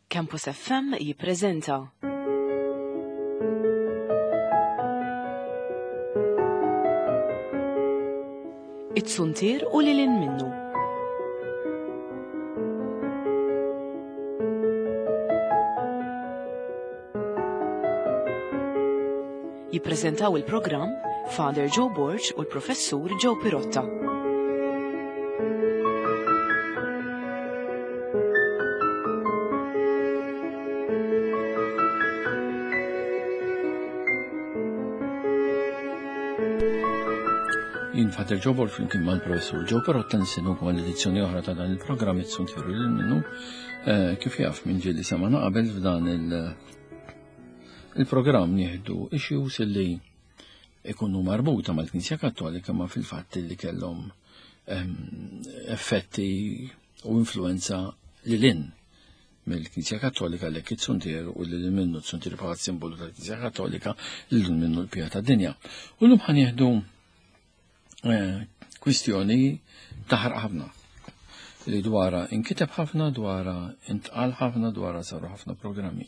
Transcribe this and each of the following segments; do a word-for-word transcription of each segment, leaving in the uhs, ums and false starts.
Campus F M jippreżenta It-Suntier u lil hinn minnu. Jippreżentaw il-programm Father Joe Borg u l-Professur Joe Pirotta. Jien Father Joe Borg flimkien mal-Professur Joe Pirotta nistennukom għal edizzjoni oħra ta' dan il-programm It-Suntier u lil minnu. Eh, kif jaf minn ġieli semana qabel f'dan il-, il-programm nieħdu issues illi ikunu marbuta mal-Knisja Kattolika ma fil-fatt li kellhom, ehm, effetti u influenza lil hinn mill-Knisja Kattolika li it-Suntier u lil minnu t-Suntier bħala simbolu tal-Knisja Kattolika lil minnu l-pija tad-dinja. U llum ħanieħdu, eh, kwistjoni taħraq ħafna li dwara inkiteb ħafna, dwara intqal ħafna, dwara saru ħafna programmi.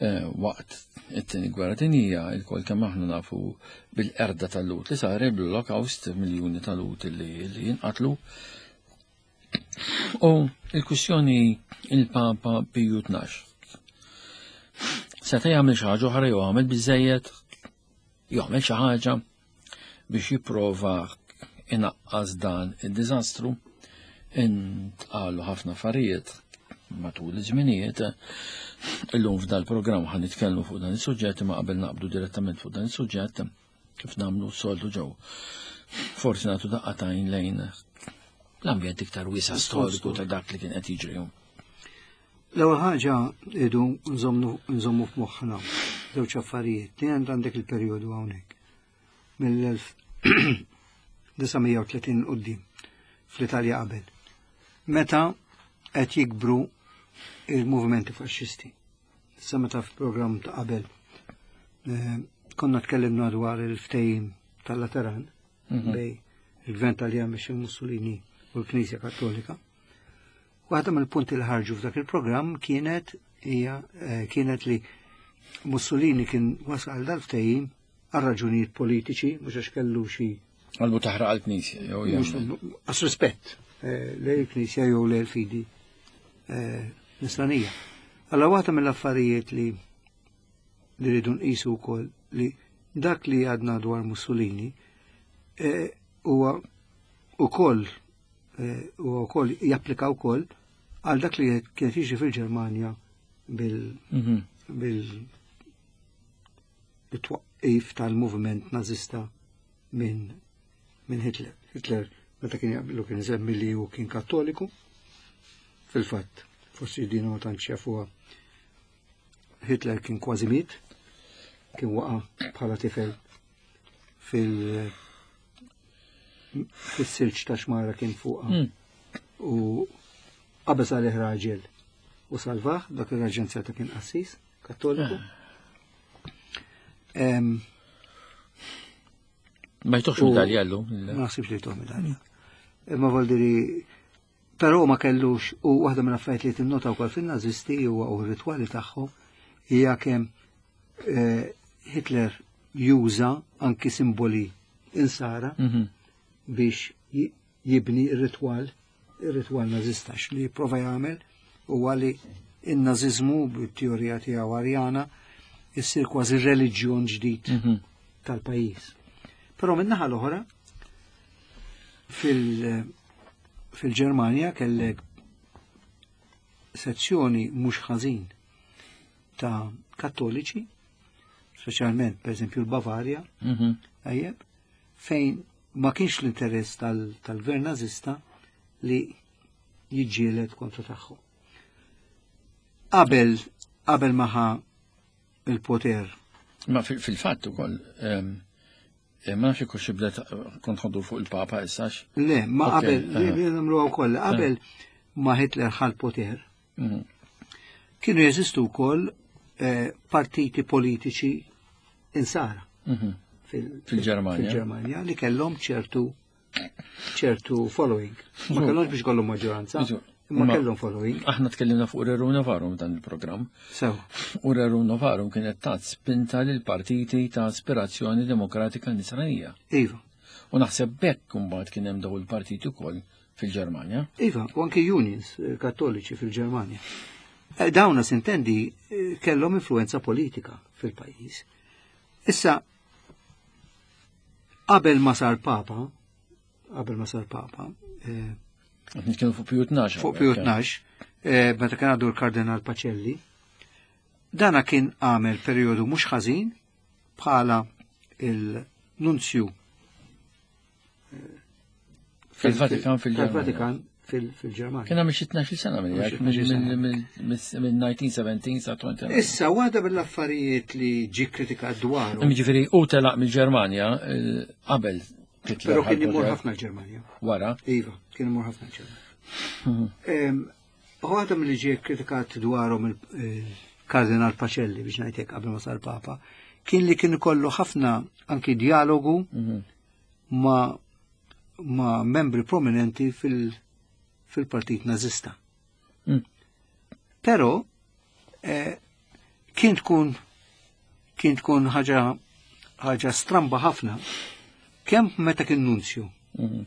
Eh, waqt it-tieni gwerra dinjija, il-kol kemm aħna nafu bil-qerda tal-Lhud li saret bl-Holocaust, miljuni tal-Lhud li, li jinqatlu. U il-kwistjoni il-Papa Piju tnax. Seta' jagħmel xi ħaġa oħra jew għamel biżżejjed, jagħmel xi ħaġa biex jipprova inaqqas dan id-diżastru. Intqalu ħafna affarijiet matul iż-żminijiet. Illum f'dal-programm ħa nitkellmu fuq dan is-suġġett, imma qabel naqbdu direttament fuq dan is-suġġett kif nagħmlu s-soltu ġew. Forsi nagħtu daqqa tajn lejn l-ambjent iktar wiesa' storiku ta' dak li kien qed jiġri. L-ewwel ħaġa idu nżommu, nżommu f'moħħna żewġ affarijiet. Tnejn għandek il-perjodu hawnhekk mill-elf disa' mija u tletin 'l quddiem fl-Italja qabel. Meta qed jikbru il-movimenti faxxisti. Issa meta f'programm ta' qabel, eh, konna tkellimna dwar il-ftehim tal-Lateran Mhm. bej il-Gvern Taljan biex il-Mussolini u l-Knisja Kattolika. Waħda mill-punti li ħarġu f'dak il-programm kienet hija, eh, kienet li Mussolini kien wasal għal dal-ftehim għal raġunijiet politiċi, mhux għax kellu xi Qalbu taħraq għall-Knisja, jew Mhux jagħmel. għas rispett, eh, lejn il-Knisja jew lejn il-fidi, eh, nisranija. Allora waħda mill-affarijiet li, li rridu nqisu wkoll li dak li għadna dwar Mussolini, eh, huwa ukoll, eh, huwa wkoll japplika wkoll għal dak li kien jiġri fil-Ġermanja bil- Mhm. bil-, bit-twaqqif tal-moviment nazista minn, minn Hitler. Hitler meta kien jaqblu kien isemmi li hu kien kattoliku. Fil-fatt, forsi din ma tantx jafuha, Hitler kien kważi miet, kien waqa' bħala tifel fil-, fis-silġ ta' xmara kien fuqha. Hmm. U qabeż għalih raġel u salvah, dak ir-raġel seta' kien qassis kattoliku. Ah. Em, Ma jtuħx u medalja llum? Ma naħsibx li jtuh medalja. Imma vol diri, però ma kellux, u waħda minn affarijiet li tinnota wkoll fin-Nażisti huwa u r-ritwali tagħhom hija kemm, eh, Hitler juża anki simboli insara Mhm. biex ji-, jibni r-ritwal, ir-ritwal nażista. Li jipprova jagħmel huwa li n-nażiżmu bit-teorija tiegħu Arjana issir kważi reliġjon ġdid Mhm. tal-pajjiż. Però min-naħa l-oħra fil-, fil-Ġermanja kellek sezzjoni mhux ħażin ta' kattoliċi, speċjalment pereżempju l-Bavarja, Mhm. tajjeb, fejn ma kienx l-interess tal-, tal-gvern nażista li jiġġieled kontra tagħhom. Qabel, qabel ma ħa il-poter. Ma fil-, fil-fatt ukoll, ehm, eh, ma nafx ikux xi bdet kont ħoddu fuq il-Papa issax. Le, ma Ok, qabel, aha. li nagħmluha wkoll, qabel ma Hitler ħa l-poter, Mhm. kienu jeżistu wkoll, eh, partiti politiċi insara Mhm. fil-, Fil-Ġermanja. fil-Ġermanja li kellhom ċertu, ċertu following. Ma Żgur. kellhomx biex kollhom maġġoranza, Żgur. Imma Ma- kellhom following. Aħna tkellimna fuq Rerum Novarum dan il-programm. Sew. U Rerum Novarum kienet tat spinta lil partiti ta' aspirazzjoni demokratika nisranija. Iva. U naħseb bekk imbagħad kien hemm daw il-partiti wkoll fil-Ġermanja. Iva, u anki unions eh, kattoliċi fil-Ġermanja. Eh, Dawna sintendi eh, kellhom influenza politika fil-pajjiż. Issa, qabel ma sar papa, qabel ma sar papa, eh, Qed nitkellmu fuq Piju Tnax. fuq Piju Tnax, eh, meta kien għadu l-Kardinal Pacelli, dana kien għamel periodu mhux ħażin bħala il-nunzju eh, fil- Fil-Vatikan fil-Ġermanja. tal-Vatikan fil- fil-Ġermanja. Kien għamil xi tnax-il sena minn Xi tnax-il sena. minn elf disa' mija u sbatax sa disgħa u għoxrin. Issa, waħda mill-affarijiet li ġi kritikat dwaru, Ġifieri u telaq mill-Ġermanja eh, qabel Hitler pero kien ħa imur l-poter, ħafna l-Ġermanja. wara. Iva, kien imur ħafna l-Ġermanja. Em, Waħda mill-li ġi kritikat dwarhom il-Kardinal Pacelli biex ngħidlek qabel ma sar Papa, kien li kien ikollu ħafna anki dialogu Mhm. ma ma membri prominenti fil- fil-Partit Nazista. Mm. Però eh, kien tkun kien tkun ħaġa ħaġa stramba ħafna kemm meta kien nunzju Mhm.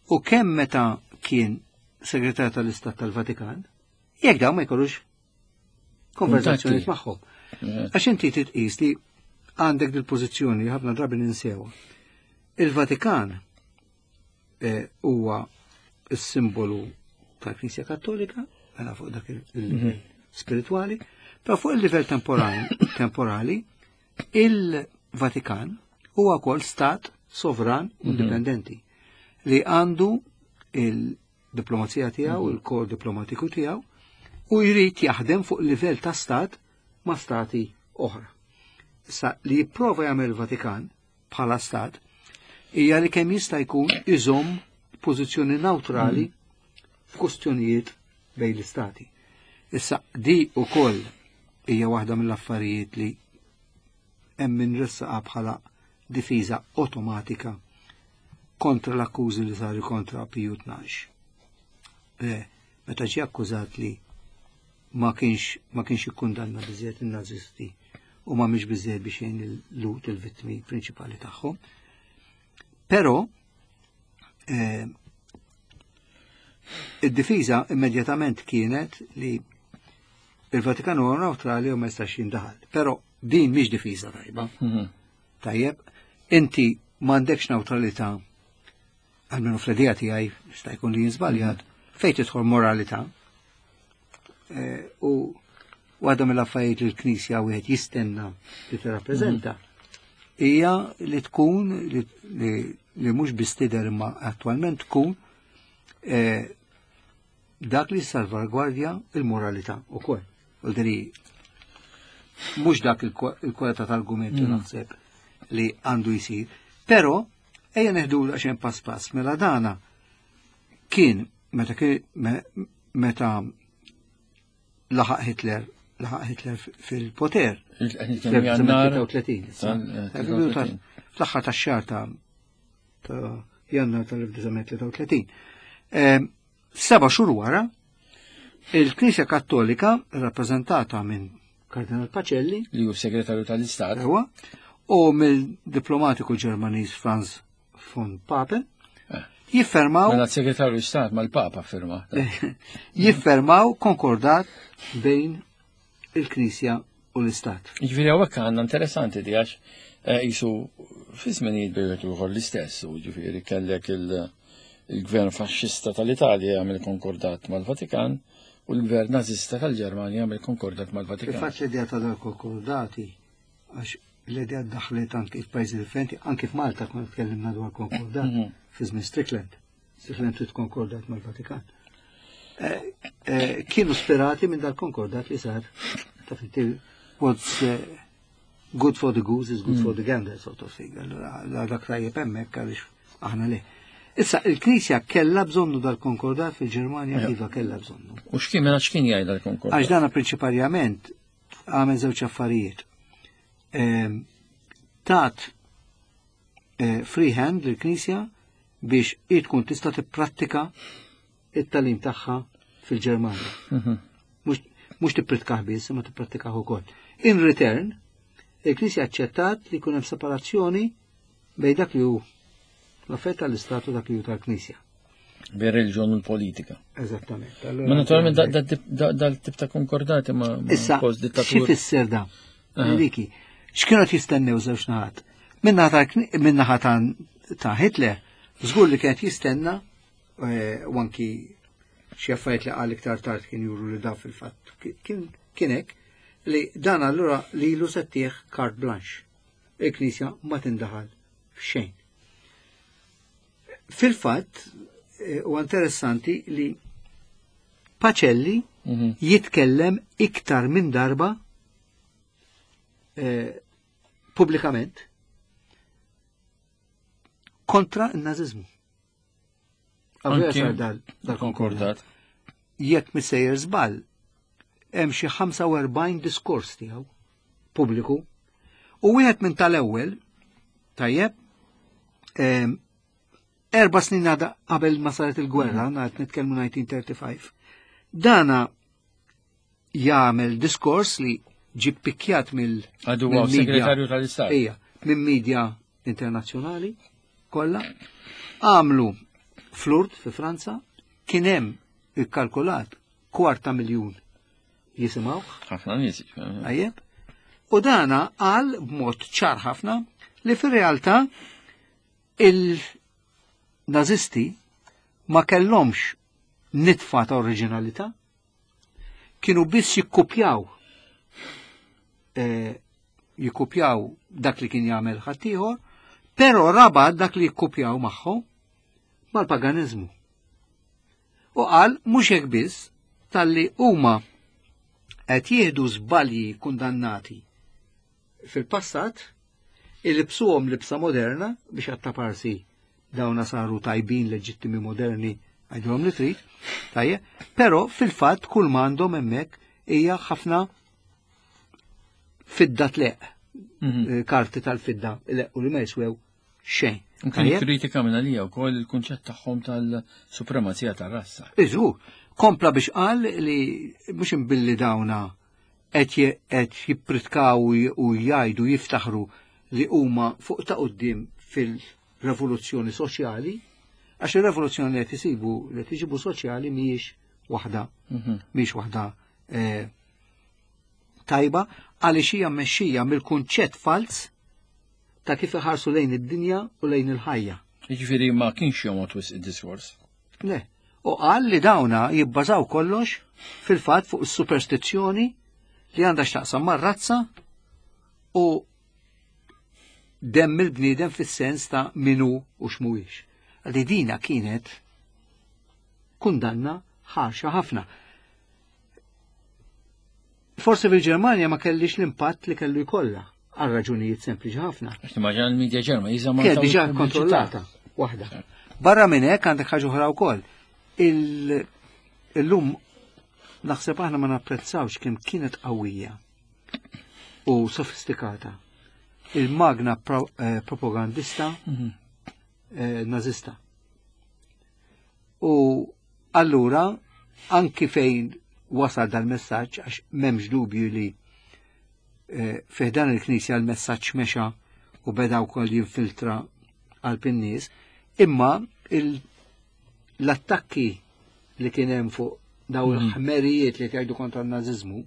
u kemm meta kien segretar tal-Istat tal-Vatikan, jekk dawn ma jkollux konverzazzjoni Kuntatti. magħhom. Eh, Għax inti titqis li għandek dil-pożizzjoni li ħafna drabi ninsewa. Il-Vatikan eh, huwa s-simbolu tal-Knisja Kattolika, mela fuq dak il-livell spirituali, però fuq il-livell temporali, temporali il-Vatikan huwa wkoll stat sovran indipendenti li għandu il-diplomazija tiegħu, il-kor diplomatiku tiegħu, u jrid jaħdem fuq livell ta' stat ma' stati oħra. Issa li jipprova jagħmel il-Vatikan bħala stat hija li kemm jista' jkun iżomm pożizzjoni neutrali f'kustjonijiet bejn l-istati. Issa di ukoll hija waħda mill-affarijiet li hemm min ressaqa bħala difiża awtomatika kontra l-akkużi li saru kontra Piju Tnax. Eh, meta ġie akkużat li ma kienx ma kienx ikkundanna biżejjed in-nazisti u ma mhix biżejjed biex jgħin il-Lhud il-vittmi prinċipali tagħhom. Però eh, id-difiża immedjatament kienet li il-Vatikan huwa neutrali u ma jistax jindaħal. Però din mhix difiża tajba. mhm. Tajjeb, inti m'għandekx neutralità, almenu fl-idea tiegħi jista' jkun li jinżbaljat, fejn tidħol moralità. Eh, U waħda mill-affarijiet li l-Knisja wieħed jistenna li tirrappreżenta hija li tkun li, li, li mhux biss tidher imma attwalment tkun eh, dak li salvagwardja il-moralità ukoll. U diri mhux dak il-kwalità tal-argument li naħseb li għandu jisir. Però ejja neħdu għaxen pass pass mela dana kien meta kien me- meta laħaq Hitler laħaq Hitler fil-poter Qed nitkellmu Jannar. fl-elf disa' mija tlieta u tletin. Tal- Fl-aħħar tax-xahar ta' ta' Jannar tal-elf disa' mija tlieta u tletin. Em, Seba' xhur wara, il-Knisja Kattolika rappreżentata minn Kardinal Pacelli Li hu segretarju tal-Istat. Ewa, u mill-diplomatiku Ġermaniż Franz von Papen Eh. jiffermaw Mela segretarju Istat mal-Papa firma. jiffermaw konkordat bejn il-Knisja u l-Istat. Ġifieri hawnhekk għandna interessanti di għax eh, jisu fi żminijiet bejn ieħor l-istess u ġifieri kellek il- il-gvern faxxista tal-Italja jagħmel konkordat mal-Vatikan u l-gvern nazista tal-Ġermanja jagħmel konkordat mal-Vatikan. Il-fatt l-idea ta' dal konkordati, għax l-idea daħlet anki f'pajjiżi differenti, anki f'Malta konna tkellimna dwar konkordat Mhm. fi żmien Strickland. Strickland trid konkordat mal-Vatikan. Eh, eh, Kienu sperati minn dal-konkordat li sar ta' inti what's eh, good for the goose is good for the gander sort of thing. Allura la dak tajjeb hemmhekk għaliex aħna le. Issa, il-Knisja kella bżonnu dal-konkordat fil-Ġermanja, Ja. iva kella bżonnu. U x'kien mela x'kien jgħid dal-konkordat? Għax dana prinċiparjament għamel żewġ affarijiet. Ehm, Tat eh, free hand lill-Knisja biex hi tkun tista' tipprattika it-tagħlim tagħha fil-Ġermanja. Mhux tippritkaħ biss, imma tipprattikah ukoll. In return, il-Knisja aċċettat li jkun hemm separazzjoni bejn dak li hu l-affett tal-Istat u dak li hu tal-Knisja. Bejn reliġjon u l-politika. Eżattament. Ma naturalment dal-tip ta' konkordati ma' post-dittatur. Issa, xi fisser da? Liki, x'kienu qed jistennew żewġ naħat? Min-naħa ta' Hitler, żgur li kienet jistenna u anki xi affarijiet li qal iktar tard kien juru li da fil-fatt kien hekk, li dan allura lilu se ttieħ carte blanche. Il-Knisja ma tindaħal f'xejn. Fil-fatt, u interessanti li Pacelli jitkellem iktar minn darba pubblikament kontra n-naziżmu. Anki dal-konkordat. Jekk missejjer żball, hemm xi ħamsa u erbgħin diskors tiegħu pubbliku u wieħed minn tal-ewwel, tajjeb, erba' snin għada qabel ma saret il-gwerra, ngħid nitkellmu nineteen thirty-five, dana jagħmel diskors li ġie ppikjat mill Għadu huwa segretarju tal-Istat. Ejja, minn media internazzjonali kollha. Għamlu flurt fi Franza, kien hemm ikkalkulat kwarta miljun jisimgħuh. Ħafna nies. Tajjeb. U dana qal b'mod ċar ħafna li fir-realtà il-nazisti ma kellhomx nitfa ta' oriġinalità, kienu biss jikkupjaw jikkupjaw dak li kien jagħmel ħaddieħor, però rabat dak li jikkupjaw magħhom mal-paganiżmu. U qal mhux hekk biss talli huma qed jieħdu żbalji kundannati fil-passat, ilibsuhom libsa moderna biex għattaparsi dawna saru tajbin leġittimi moderni għajdhom li trid, tajjeb, però fil-fatt kull m'għandhom hemmhekk hija ħafna fidda tleq, karti tal-fidda leq u li ma jiswew xejn. Kien kritika minn għalija wkoll il-kunċett tagħhom tal-supremazija tar-razza. Iżu, kompla biex qal li mhux imbilli dawna qed jippritkaw u jgħidu jiftaħru li huma fuq ta' quddiem fil-revoluzzjoni soċjali, għax ir-revoluzzjoni li qed isibu li qed iġibu soċjali mhijiex waħda, mhijiex waħda tajba, għaliex hija mmexxija mill-kunċett falz ta' kif iħarsu lejn id-dinja u lejn il-ħajja. Jiġifieri ma kienx jomgħod wisq id-diskors. Le, u qal li dawna jibbażaw kollox fil-fatt fuq is-superstizzjoni li għandha x'taqsam mar-razza u demm il-bniedem fis-sens ta' minu u x'mhuwiex. Għalli dina kienet kundanna ħarxa ħafna. Forse fil-Ġermanja ma kellix l-impatt li kellu jkollha għal raġunijiet sempliċi ħafna. Għax timmaġina l-medja Ġermaniża ma kienet diġà kontrollata waħda. Barra minn hekk għandek ħaġa oħra wkoll. Illum naħseb aħna ma napprezzawx kemm kienet qawwija u sofistikata il-magna propagandista nazista. U allura anki fejn wasal dal-messaġġ, għax m'hemmx dubju li fih dan il-Knisja l-messaġġ mexa u beda wkoll jinfiltra qalb in-nies, imma l-attakki li kien hemm fuq daw il-ħmerijiet li jgħidu kontra n-naziżmu,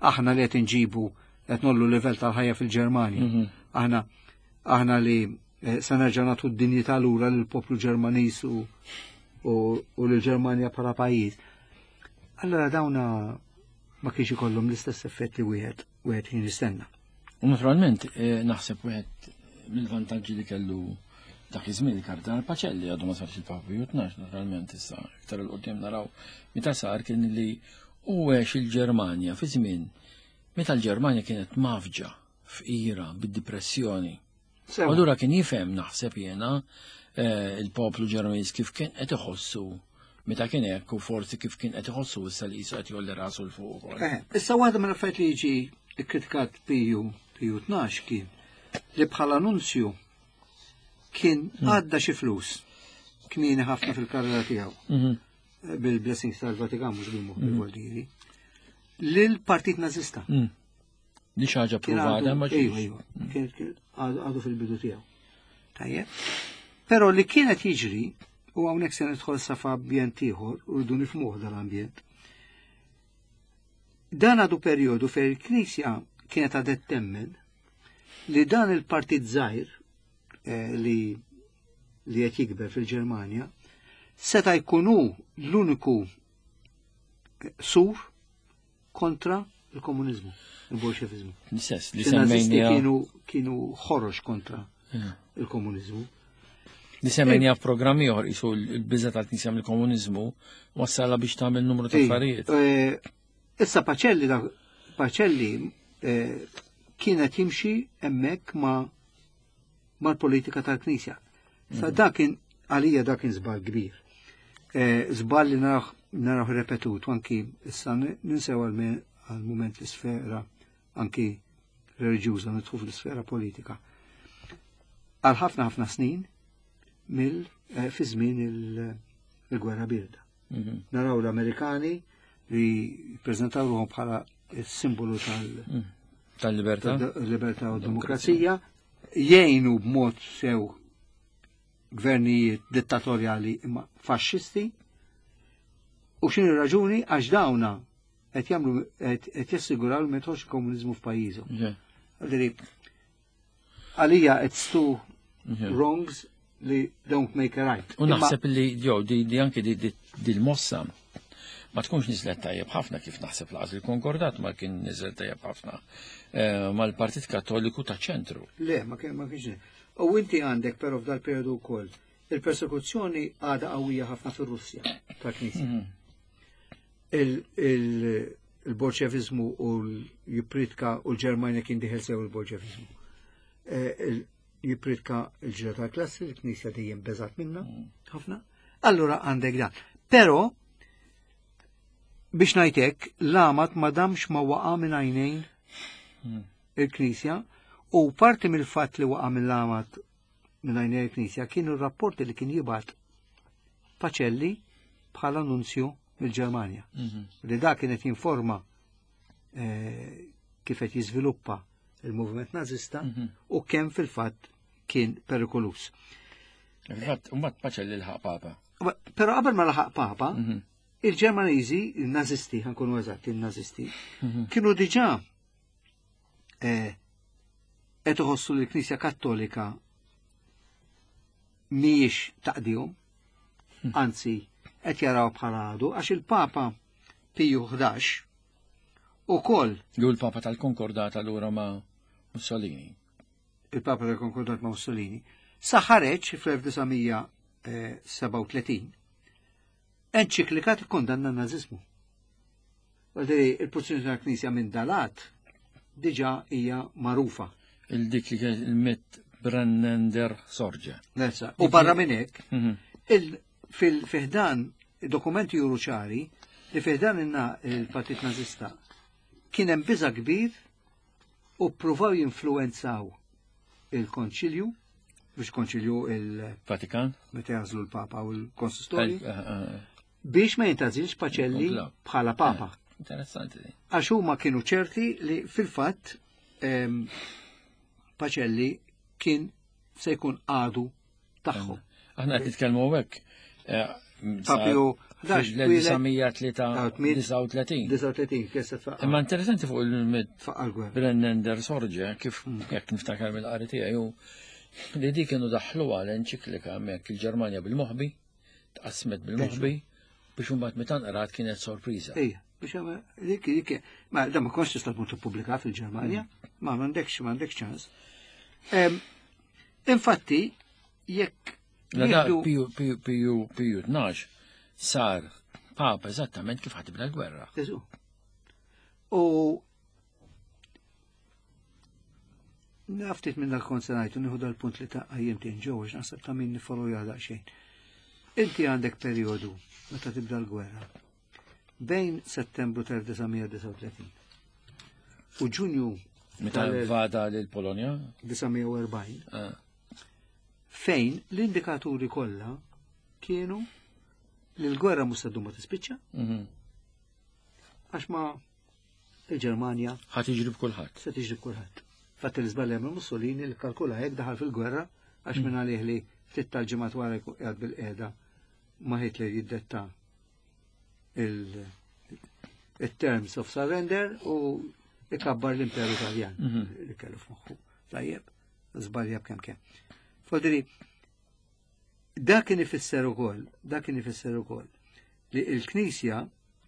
aħna li qed inġibu qed nollu livell tal-ħajja fil-Ġermanja, aħna aħna li se nerġa' nagħtu d-dinjità lura lill-poplu Ġermaniż u u lill-Ġermanja bħala pajjiż. Allora dawna ma kienx ikollhom l-istess effett li wieħed wieħed kien jistenna. U naturalment naħseb wieħed mill-vantaġġi li kellu dak iż-żmien il-Kardinal Pacelli għadu ma sarx il-Papa Piju tnax, naturalment issa iktar il qudiem naraw meta sar kien li hu għex il-Ġermanja fi żmien meta l-Ġermanja kienet mafġa fqira bid-depressjoni. Allura kien jifhem naħseb jiena il-poplu Ġermaniż kif kien qed iħossu meta kien hekk u forsi kif kien qed iħossu issa li qisu qed jolli rasu l fuq ukoll. Issa waħda mill-affarijiet li jiġi kkritikat Piju Piju tnax kien li bħala annunzju kien għadda xi flus kmieni ħafna fil-karriera tiegħu. bil-blessings tal-Vatikan mhux bil-moħbi voldiri, lill-Partit Nażista. Di xi ħaġa provata ma ġietx. Iva, kien għadu fil-bidu tiegħu. Tajjeb. Però li kienet jiġri, u hawnhekk se nidħol sa f'ambjent ieħor, u rridu nifhmuh dal-ambjent. Dan għadu perjodu fejn il-Knisja kienet għadet temmen li dan il-partit żgħir li li qed jikber fil-Ġermanja seta' jkunu l-uniku sur kontra il-komunizmu, il-bolxevizmu. L-istess, li semmejnija. Kienu, kienu ħorox kontra il-komunizmu. Li semmejnija f'programmi oħor, isu l-biża tal-Knisja mill-komunizmu wassala biex tagħmel numru ta' affarijiet. Issa Pacelli, Pacelli kienet jimxi hemmhekk ma' mal-politika tal-Knisja. Sa dak kien għalija dak kien żball kbir. Żball li naraw repetut, anki issa ninsew għal-moment l-sfera anki reliġjuża, nidħu fl-sfera politika. Għal ħafna ħafna snin mill fi żmien il-gwerra birda. Naraw l-Amerikani li ppreżentaw ruħhom bħala s-simbolu tal- tal-libertà, libertà u demokrazija, jgħinu b'mod sew gvernijiet dittatorjali imma faxxisti. U x'inhi raġuni? Għax dawna qed jagħmlu qed jassiguraw li ma jidħolx komuniżmu f'pajjiżhom. Għalija it's two wrongs li don't make a right. U naħseb li jew di anke di l-mossa ma tkunx niżlet tajjeb ħafna kif naħseb laqas il-Konkordat ma kien niżel tajjeb ħafna mal-Partit Kattoliku ta' ċentru. Le, ma kien ma kienx. U inti għandek però f'dal periodu wkoll il-persekuzzjoni għadha qawwija ħafna fir-Russja tal-Knisja. Il-bolxevizmu u l-jipritka u l-Ġermanja kien diħel sew il-bolxevizmu. Jipritka l-ġira tal-klassi, l-Knisja dejjem beżat minna ħafna. Allura għandek dan. Però biex ngħidlek, l-għamad ma damx ma waqa' minn għajnejn il-Knisja, u parti mill-fatt li waqa' mill-għamad minn għajnejn il-Knisja kienu r-rapporti li kien jibgħat Pacelli bħala nunzju mill-Ġermanja. Li da kienet jinforma kif qed jiżviluppa il-moviment nażista u kemm fil-fatt kien perikolus. Fil-fatt, mbagħad Pacelli laħaq Papa. Però qabel ma laħaq Papa, il-Ġermaniżi, il-Nazisti, ħankunu eżatti, il-Nazisti, kienu diġà qed iħossu li l-Knisja Kattolika mhijiex taqdihom, anzi qed jaraw bħala għadu, għax il-Papa Piju ħdax ukoll. Ju l-Papa tal-Konkordat allura ma' Mussolini. Il-Papa tal-Konkordat ma' Mussolini. Sa ħareġ fl-elf disa' mija sebgħa u tletin enċiklika tikkondanna n-nażiżmu. Għalderi, il-pożizzjoni tal-Knisja minn dalat diġà hija magħrufa. Il-dik li kienet il-Mit Brennender Sorge. Nessa. U barra minn hekk, fil-fiħdan dokumenti juru ċari li fiħdan inna il-Partit Nażista kien hemm biża' kbir u ppruvaw jinfluwenzaw il-Konċilju, biex konċilju il-Vatikan, meta jażlu l-Papa u l-Konsistorju, biex ma jintażilx Pacelli bħala Papa. Interessanti. Għax huma kienu ċerti li fil-fatt Pacelli kien se jkun għadu tagħhom. Aħna qed nitkellmu hekk. Papju fl-elf disa' mija disgħa u tletin. disgħa u tletin, kif se tfaqqa'. Imma interessanti fuq il-Mit Tfaqqa' l-gwerra. Brennender Sorge, kif jekk niftakar mill-qari tiegħi, li di kienu daħluha l-enċiklika hemmhekk il-Ġermanja bil-moħbi, tqasmet bil-moħbi, biex imbagħad meta nqrat kienet sorpriża. Ejja, biex hemm dik dik ma dan ma kontx tista' tmur tippubblika fil-Ġermanja, ma m'għandekx m'għandekx ċans. Infatti, jekk La da Piju Piju Piju Piju tnax sar Papa eżattament kif ħatibda l-gwerra. Eżu. U naftit minn dal-kont se ngħidu nieħu dal-punt li ta' qajjim tien ġew għax naħseb ta' min nifollow jgħadha xejn. Inti għandek perjodu meta tibda l-gwerra bejn Settembru tal-elf disa' mija disgħa u tletin u Ġunju Meta tal-elf vada lil Polonja? disa' mija u erbgħin, Ah. fejn l-indikaturi kollha kienu li l-gwerra mhux se ddum ma tispiċċa. Għax ma il-Ġermanja ħa tiġri b'kulħadd. Se tiġri b'kulħadd. Fatt l-iżball jagħmel Mussolini li kalkula hekk daħal fil-gwerra għax minn għalih li ftit tal-ġimgħat wara jkun qiegħed bil-qiegħda ma' Hitler jiddetta il-terms of surrender u ikabbar l-Imperu Taljan li kellu f'moħħu. Tajjeb, żbalja b'kemm kemm. Fodri, dak kien ifisser ukoll, dak kien ifisser ukoll li l-Knisja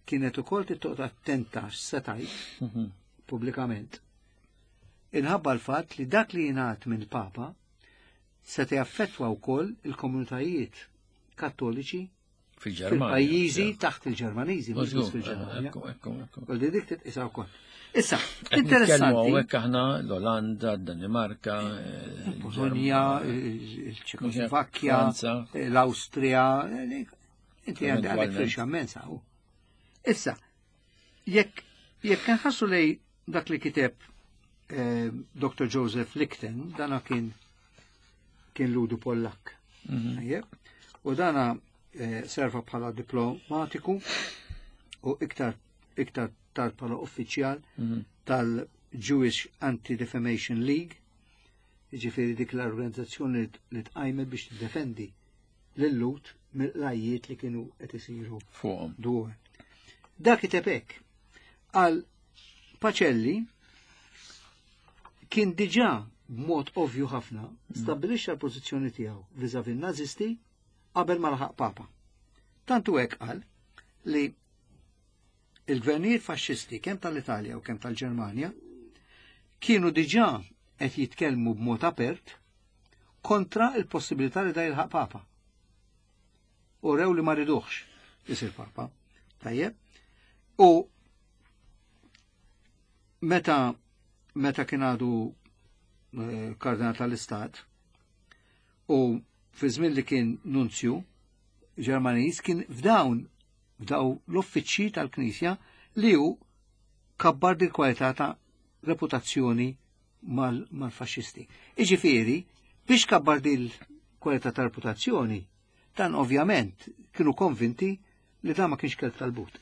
kienet ukoll tittoqgħod attenta x'se tgħid pubblikament. Inħabba l-fatt li dak li jingħad mill-Papa se jaffettwa wkoll il-komunitajiet kattoliċi fil-Ġermanja. Fil-pajjiżi taħt il-Ġermaniżi, mhux biss fil-Ġermanja. Ekku, ekku, ekku. Kolli dik titqisha wkoll. Issa, Qed nitkellmu interessanti. hawnhekk aħna l-Olanda, d-Danimarka, eh, Polonja, il-Ġermanja, il-Ċekoslovakkja, Franza. l-Awstrija, inti għandek Eventualment. firxa immensa. u. Issa, jekk jekk nħassu lej dak li kiteb eh, Doktor Joseph Lichten, dana kien kien Lhudi Pollak. Mhm. Tajjeb? U dana eh, serva bħala diplomatiku u iktar iktar tard bħala uffiċjal Mhm. tal-Jewish Anti-Defamation League, jiġifieri dik l-organizzazzjoni li tqajmet biex tiddefendi lil-Lhud mill-qlajjiet li kienu qed isiru fuqhom. dwar. Dak kiteb hekk. Għal Pacelli kien diġà b'mod ovvju ħafna stabbilixxa l-pożizzjoni tiegħu vis-à-vis n-Nazisti qabel ma laħaq Papa. Tantu hekk qal li il-gvernijiet faxxisti kemm tal-Italja u kemm tal-Ġermanja kienu diġà qed jitkellmu b'mod apert kontra il-possibilità li da jilħaq Papa. U rew li ma riduħx isir Papa. Tajjeb. U meta, meta kien għadu, eh, kardinal tal-Istat u fi żmien li kien nunzju Ġermaniż kien f'dawn f'daw l-uffiċċji tal-Knisja li hu kabbar dil kwalità ta' reputazzjoni mal-, mal-faxxisti. Iġifieri, biex kabbar dil kwalità ta' reputazzjoni, dan ovvjament kienu konvinti li dan ma kienx kelb tal-but.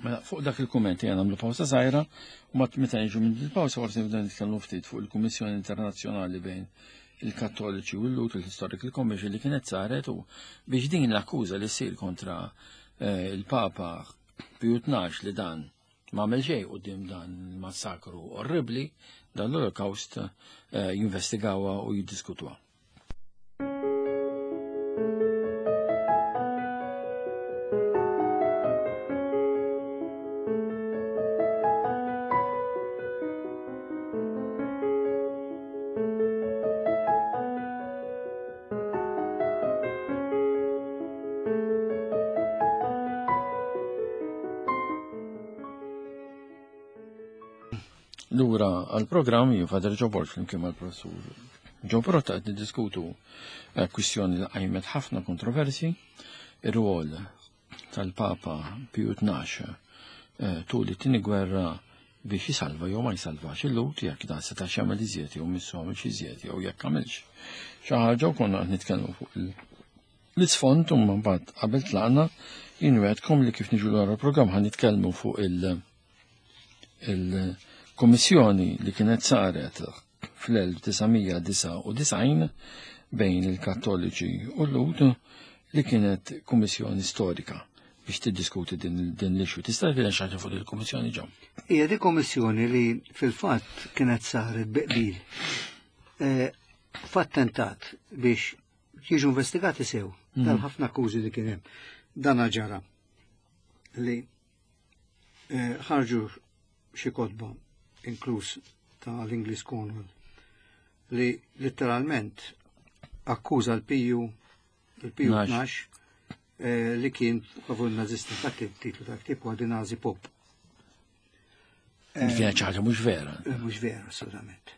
Mela, fuq dak il-kumment jena nagħmlu pawsa żgħira u mat meta niġu minn il-pawsa forsi nibda nitkellmu ftit fuq il-Kummissjoni Internazzjonali bejn il-Kattoliċi u l-Lhud, il-Historical Commission li kienet saret u biex din l-akkuża li ssir kontra, eh, il-Papa Piju tnax li dan ma għamel xejn quddiem dan il-massakru orribli, dan l-Holocaust, eh, jinvestigawha u jiddiskutuha. Lura għal-programm jien Father Joe Borg flimkien mal-professur Joe Pirotta qed niddiskutu, eh, kwistjoni li qajmet ħafna kontroversi, ir-rwol tal-Papa Piju tnax, eh, tul it-tieni gwerra biex jisalva jew ma jsalvax il-Lhud, jekk dan setax jagħmel iżjed jew missu għamel xi iżjed jew jekk għamilx xi ħaġa, u konna qed nitkellmu fuq il-, l-isfond u mbagħad qabel tlaqna jien wegħedkom li kif niġu lura l-programm ħa nitkellmu fuq il-, il-kummissjoni li kienet saret fl-elf disa' mija disa' u disgħin bejn il-Kattoliċi u l-Lhud, li kienet kummissjoni storika biex tiddiskuti din, din l-issue. Tista' tgħidilna xi ħaġa fuq il-kummissjoni ġew? Hija di kummissjoni li fil-fatt kienet saret bi qbil, eh, f'attentat biex jiġu investigati sew Mhm. dal-ħafna akkużi li kien hemm. Dan ġara li, eh, ħarġu xi kotba, inkluż ta' l-Ingliż Cornwell, li letteralment akkuża l-Piju, il-Piju Tnax. tnax, eh, li kien favur nazista, infatti il-titlu ta' ktieb huwa The Nazi Pope. Li kienet xi ħaġa mhux vera. Eh, mhux vera, assolutament.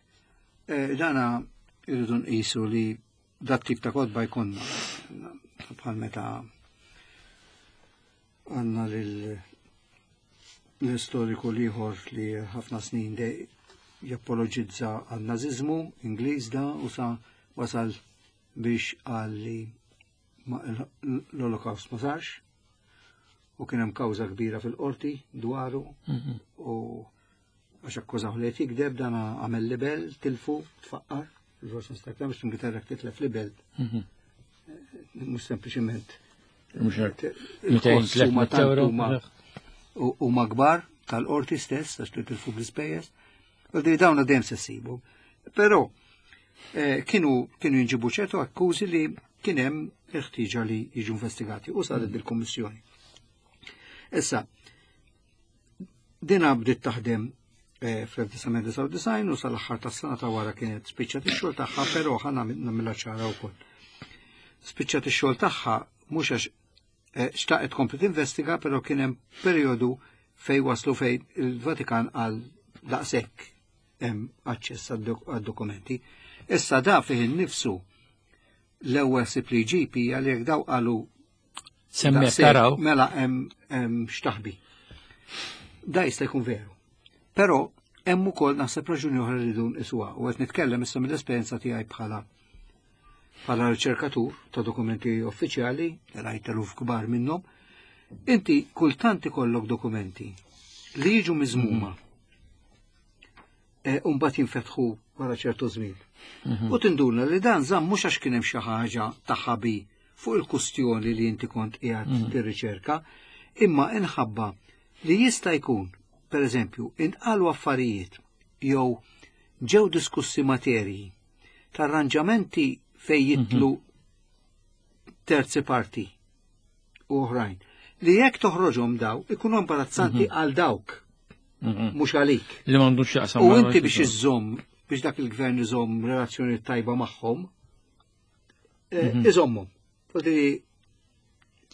Eh, dana irridu nqisu li dat tip ta' kotba jkollna bħal meta għandna lil l-istoriku l-ieħor li ħafna snin de japologizza għal-naziżmu Ingliż da u sa wasal biex qal li l-Holocaust ma sarx u kien hemm kawża kbira fil-qorti dwaru Mhm. u għax akkużaw li qed jikdeb dan għamel libel, tilfu, tfaqqar, il-forsi nista' biex l-Ingilterra titlef libel, Mhm. mhux sempliċiment Mhux hekk. il-costs huma tliet euro. tant huma huma kbar tal-qorti stess għax li tilfu bl-ispejjeż. U di dawna dejjem se ssibu. Però eh, kienu kienu jinġibu ċertu akkużi li kien hemm il-ħtieġa li jiġu investigati u saret bil-Kummissjoni. Issa, dina bdiet taħdem eh, fl-elf disa' mija disgħa u disgħin u sal-aħħar tas-sena ta' wara kienet spiċċat ix-xogħol tagħha, però ħa nagħmilha ċara wkoll. Spiċċat ix-xogħol tagħha mhux għax eh, xtaqet tkompli tinvestiga, però kien hemm perjodu fej waslu fej il-Vatikan għal daqshekk hemm aċċess għad-dokumenti. Issa da fih innifsu l-ewwel sib li jġib hija li jekk daw qalu Semmek daqshekk, taraw. Mela hemm hemm x'taħbi. Da jista' jkun veru. Però hemm ukoll naħseb raġuni oħra li dun iswa u qed nitkellem issa mill-esperjenza tiegħi bħala bħala riċerkatur ta' dokumenti uffiċjali, li rajt eluf kbar minnhom, inti kultant ikollok dokumenti li jiġu miżmuma e, u mbagħad jinfetħu wara ċertu żmien. U tinduna li dan żamm mhux għax kien hemm xi ħaġa ta' ħabi fuq il-kustjoni li inti kont qiegħed tirriċerka, imma inħabba li jista' jkun, per eżempju, intqalu affarijiet jew ġew diskussi materji ta' arranġamenti fej jitlu terzi parti u oħrajn. Li jekk toħroġhom daw ikunu imbarazzanti għal dawk, Mhm. mhux għalik. Li m'għandux x'jaqsam U ma' inti biex iżżomm, biex dak il-gvern iżomm relazzjoni tajba magħhom, eh, iżommhom. Fodi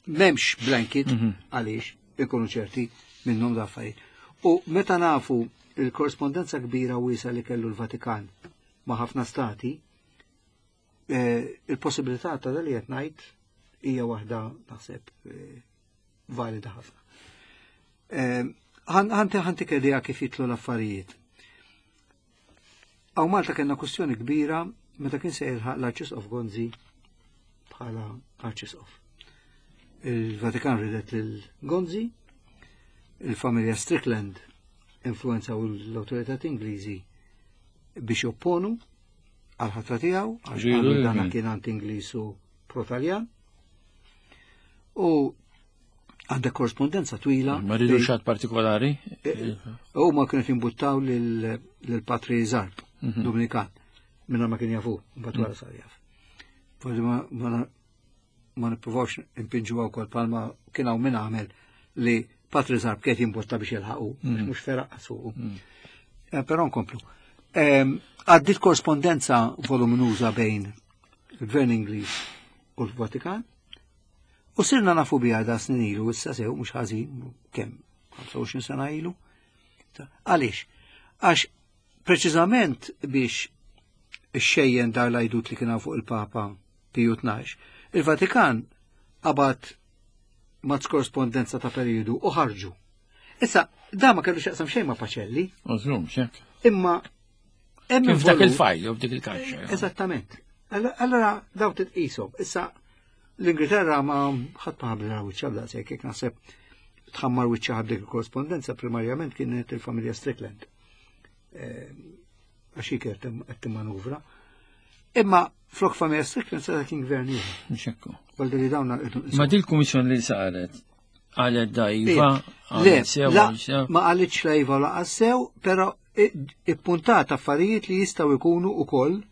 m'hemmx blanket għaliex ikunu ċerti minnhom da affarijiet. U meta nafu il-korrespondenza kbira wiesa li kellu l-Vatikan ma' ħafna stati, eh, il-possibilità ta' dal li qed ngħid hija waħda naħseb eh, valida ħafna. Eh, Ħanti ħanti idea kif jitlu l-affarijiet. Hawn Malta kellna kwestjoni kbira meta kien se jilħaq l-Arċisqof Gonzi bħala Arċisqof. Il-Vatikan ridet lil Gonzi, il-familja Strickland influenzaw l-autoritat Ingliżi biex jopponu għal-ħatra tiegħu, għax Ġilu qalu lil dana min? kien anti-Ingliż u pro-Taljan. U għandek korrespondenza twila. Ma rridu bejn- xat partikolari. U ma kienu jimbuttaw lil-Patri Zarb, Mhm. Dominikan, minna ma kien jafu, mbagħad wara sar jaf. Forsi ma ma ma nippruvawx impinġu wkoll palma kien hawn min għamel li Patri Zarb kien jimbotta biex jilħaqu, Mhm. mhux feraq fuqu. Eh, Però nkomplu. Ehm, Għaddit korrespondenza voluminuża bejn il-Gvern Ingliż u l-Vatikan, u sirna nafu biha da snin ilu, issa sew, mhux ħażin, kemm ħamsa u għoxrin sena ilu. Ta- Għaliex? Għax preċiżament biex ixxejjen dar l-għajdut li kien fuq il-Papa Piju tnax, il-Vatikan qabad mazz korrespondenza ta' periodu u ħarġu. Issa, da ma kellu x'jaqsam xejn ma' Pacelli, Użlum, xek. imma hemm Kif dak involut- il-fajl, jew f'dik il-kaxxa. Eżattament. Allora- Allora daw titqishom. Issa l-Ingilterra ma ħadd ma ħabbla wiċċha b'daqshekk, jekk naħseb tħammar wiċċha dik il-korrespondenza primarjament kienet il-familja Strickland. Eh, Għax hi kienet qed timmanuvra. Imma flok familja Strickland seta' kien gvern ieħor. Xekku. Għal li dawna Ma dil kummissjoni li saret għalet da iva, Le, għalet sew, la, għalet sew. ma qalitx la iva laqas sew, però i- ippuntat affarijiet li jistgħu jkunu ukoll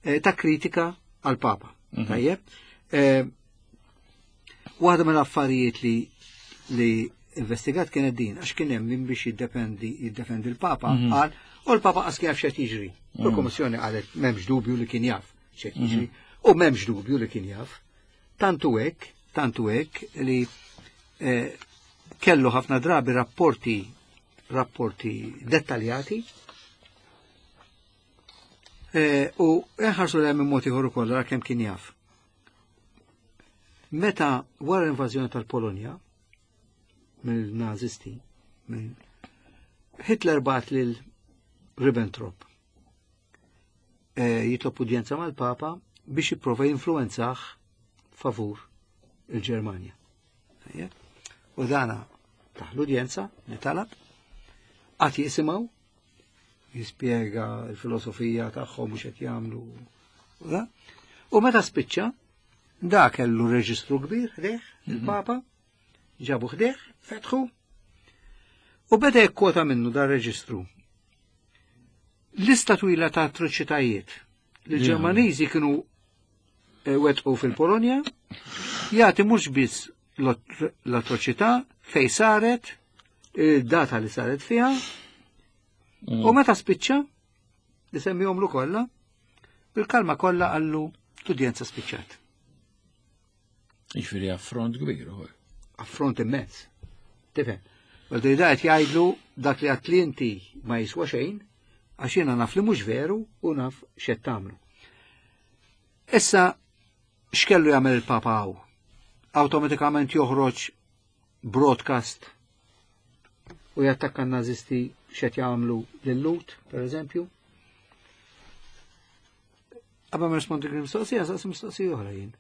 eh, ta' kritika għal Papa. Mhm. Tajjeb? Eh, Waħda mill-affarijiet li li investigat kienet din, għax kien hemm min biex jiddefendi jiddefendi l-Papa, Mhm. qal, u l-Papa qas kien jaf x'qed jiġri. U l-Kummissjoni qalet m'hemmx dubju li kien jaf x'qed jiġri, u m'hemmx dubju li kien jaf. Tantu hekk, tantu hekk li eh, kellu ħafna drabi rapporti rapporti dettaljati eh, u nħarsu l minn mod ieħor ukoll ara kemm kien jaf. Meta wara l-invażjoni tal-Polonja mill-Nazisti, minn Hitler bat lil Ribbentrop eh, jitlob udjenza mal-Papa biex jipprova jinfluwenzah favur il-Ġermanja. U dana taħ l-udjenza li talab, għad jisimgħu, jispjega l-filosofija tagħhom u x'qed jagħmlu. U meta spiċċa, da kellu reġistru kbir ħdejh, il-Papa, ġabu ħdejh, fetħu, u beda jikkwota minnu dar reġistru. Lista twila ta' atroċitajiet li l-Ġermaniżi kienu wetqu fil-Polonja, jagħti mhux biss l-atroċità fej saret, il-data li saret fiha, u meta spiċċa, li semmihomlu kollha, bil-kalma kollha qallu l-udjenza spiċċat. Jiġifieri affront kbir ukoll. Affront immens. Tifhem. Għal da qed jgħidlu dak li għedt li inti ma jiswa xejn, għax jiena naf li mhux veru u naf x'qed tagħmlu. Issa x'kellu jagħmel il-Papa hawn? Awtomatikament joħroġ broadcast u jattakka n-nazisti x'qed jagħmlu lil-Lhud, per eżempju. Qabel ma nirrispondi mistoqsija, saqsi mistoqsija oħra jien.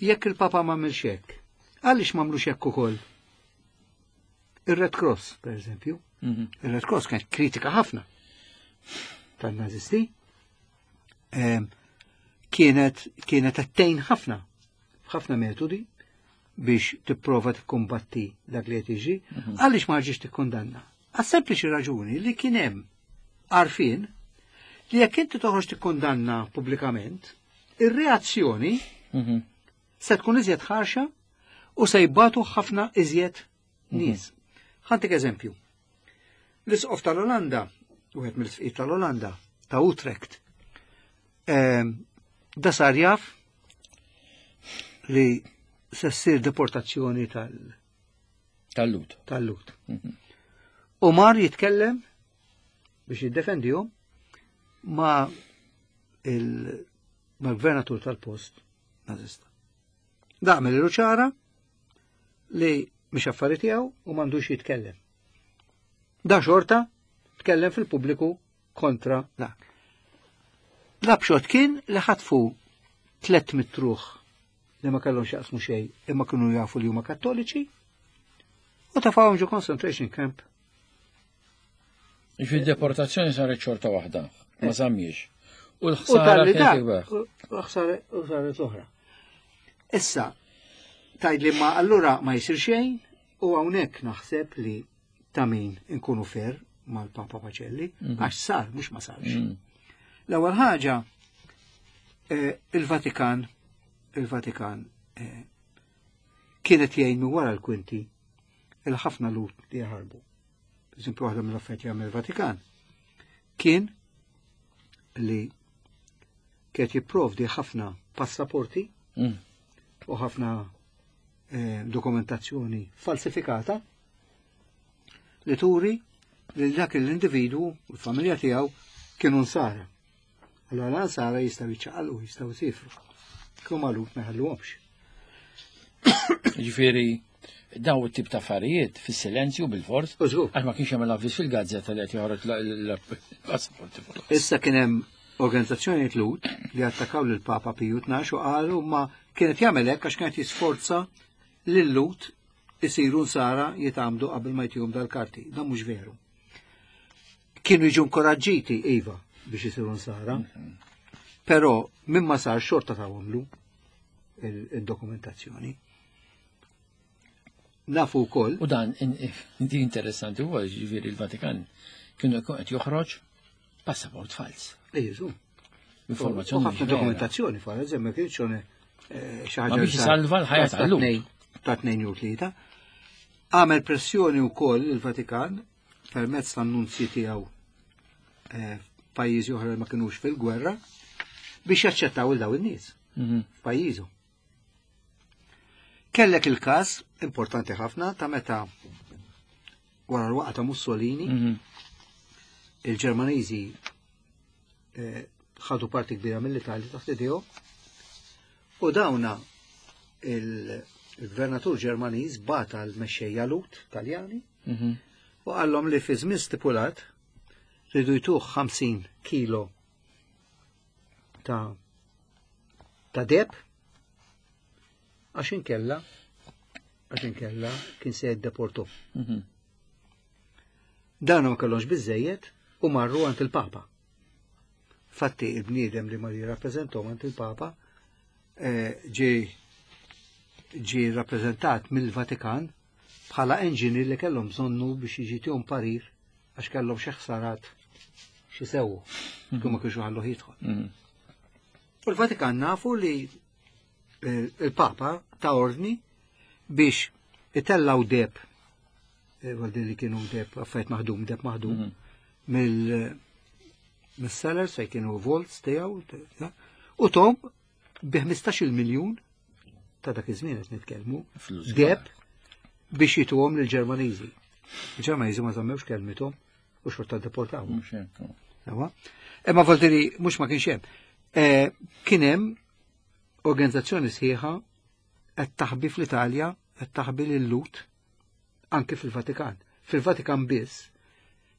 Jekk il-Papa m'għamilx hekk, għaliex m'għamlux hekk ukoll? Ir-Red Cross, per eżempju. Il-Red Cross kienet kritika ħafna tan-nazisti. Kienet kienet attejn ħafna, ħafna metodi biex tipprova tikkumbatti dak li qed jiġri, għaliex ma ġiex tikkundanna? Għas sempliċi raġuni li kien hemm għarfien li jekk inti toħroġ tikkundanna pubblikament, ir-reazzjoni se tkun iżjed ħarxa u se jbatu ħafna iżjed nies. Ħa ntik eżempju. L-isqof tal-Olanda, wieħed mill-isqfijiet tal-Olanda, ta' Utrecht, da sar jaf li se ssir deportazzjoni tal- Tal-Lhud. Tal-Lhud. U mar jitkellem biex jiddefendihom ma' il-gvernatur tal-post nazista. Da għamel ċara li mhix affari tiegħu u m'għandux jitkellem. Da xorta tkellem fil-pubbliku kontra dak. L-upshot kien li ħatfu tliet mitt ruħ li ma kellhom x'jaqsmu xejn imma kienu jafu li huma kattoliċi u tafawhom ġo concentration camp. Ġifieri deportazzjoni saret xorta waħda, ma żammiex. U U l-ħsara tal-li kienet dak, ikbar. u l-ħsara u saret oħra. Issa, tgħid li ma allura ma jsir xejn u hawnhekk naħseb li ta' min inkunu fair mal-Papa Pacelli, għax sar, mhux ma sarx. L-ewwel ħaġa, eh, il-Vatikan, il-Vatikan eh, kienet jgħin minn wara l-kwinti il-ħafna Lhud li jaħarbu. Per eżempju, waħda mill-affarijiet jagħmel il-Vatikan kien li kienet jipprovdi ħafna passaporti Mm. u ħafna eh, dokumentazzjoni falsifikata li turi li dak l-individwu u l-familja tiegħu kienu nsara. Allora l-ansara jistgħu jiċċaqalqu, jistgħu jsifru. Kienu magħluq ma jħalluhomx. Ġifieri daw it-tip ta' affarijiet fis-silenzju bil-fors. U żgur. Għax ma kienx hemm l-avviż fil-gazzetta li qed joħroġ l-passaporti fuq. Issa kien hemm organizzazzjoni Lhud li attakaw lil Papa Piju tnax u qalu ma kienet jagħmel hekk għax kienet jisforza lil Lhud isiru nsara jitgħammdu qabel ma jtihom dal-karti. Dan mhux veru. Kienu jiġu inkoraġġiti iva biex isiru nsara, però minn ma sar xorta tawhomlu il-dokumentazzjoni. Nafu wkoll U dan in- di interessanti huwa ġifieri il-Vatikan kienu jkun qed joħroġ passaport fals. Ejju, Informazzjoni U ħafna mhix vera. dokumentazzjoni, for eżempju, ma kienx eh, xi ħaġa Ma biex li sar- isalva l-ħajja ta' tal-Lhud. tnejn- Ta' tnejn jew tlieta. Għamel pressjoni wkoll il-Vatikan permezz tan-nunzji tiegħu eh, f'pajjiżi oħra li ma kinux fil-gwerra biex jaċċettaw il daw in-nies Mhm. f'pajjiżu. Kellek il-każ importanti ħafna ta' meta wara l-waqgħa ta' Mussolini Mhm. il-Ġermaniżi eh, ħadu parti kbira mill-Italja taħt idejhom u dawna il- il-gvernatur Ġermaniż bagħat għal mexxejja Lhud Taljani Mhm. u qallhom li fi żmien stipulat ridu jtuh ħamsin kilo ta' ta' deheb Għax inkella, għax inkella kien se jiddeportu. Mhm. Dan ma kellhomx biżejjed u marru għand il-Papa. Fatti il-bniedem li mar jirrappreżentahom għand il-Papa eh, ġie ġie rappreżentat mill-Vatikan bħala engineer li kellhom bżonnu biex jiġi parir għax kellhom xi ħsarat xi sewwu kif ma kienx ħalluh jidħol. Mhm. U l-Vatikan nafu li eh, il-Papa ta ordni biex itellaw deheb, eh, għal li kienu deheb, affarijiet maħdum, deheb maħdum, Mhm. mill mill-cellars fej kienu vaults tiegħu, ta- u tom bi ħmistax-il miljun ta' dak iż-żmien qed nitkellmu, Flus deheb biex jituhom lill-Ġermaniżi. Il-Ġermaniżi ma żammewx kelmithom u xorta deportaw. Mhux hekk. Ewa. Imma Valtteri mhux ma kienx hemm. Eh, Kien hemm organizzazzjoni sħiħa qed taħbi fl-Italja, qed taħbi lil-Lhud anke fil-Vatikan. Fil-Vatikan biss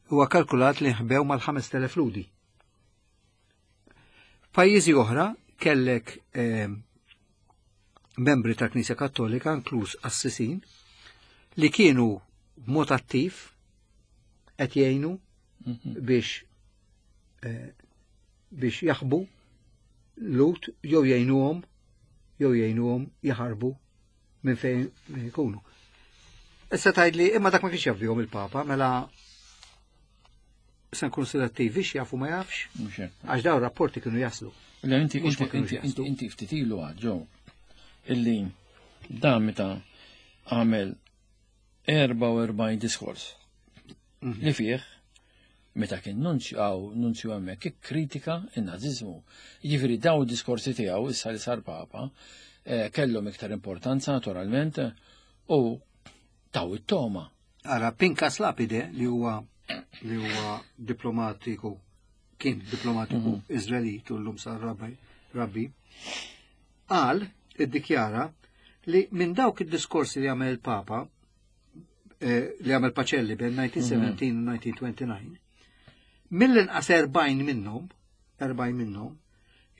huwa kalkulat li nħbew mal-ħamest elef Lhudi. Pajjiżi oħra kellek eh, membri tal-Knisja Kattolika, inkluż assisin, li kienu b'mod attiv qed jgħinu Mhm. biex eh, biex jaħbu Lhud jew jgħinuhom jew jgħinuhom jaħarbu minn fejn jkunu. Issa tgħidli imma dak ma kienx jaf bihom il-Papa, mela se nkunu selettivi x'jafu ma jafx, Mhux hekk. għax daw rapporti kienu jaslu. Le inti Mhux inti ma kienux inti jaslu. inti inti ftit ilu għad ġew illi dan meta għamel erbgħa u erbgħin diskors Mhm. li fih meta kien nunzju għaw nunzju hemmhekk ikkritika n-naziżmu. Jiġifieri daw diskorsi tiegħu issa li sar Papa eh, kellhom iktar importanza naturalment u taw it-toma. Ara, Pinkas Lapide li huwa li huwa diplomatiku, kien diplomatiku Izraelit u llum sar rabbi, rabbi, qal, iddikjara li minn dawk id-diskorsi li għamel il-Papa, eh, li għamel Pacelli bejn elf disa' mija u sbatax u elf disa' mija u disgħa u għoxrin, mill-inqas erbgħin minnhom, erbgħin minnhom,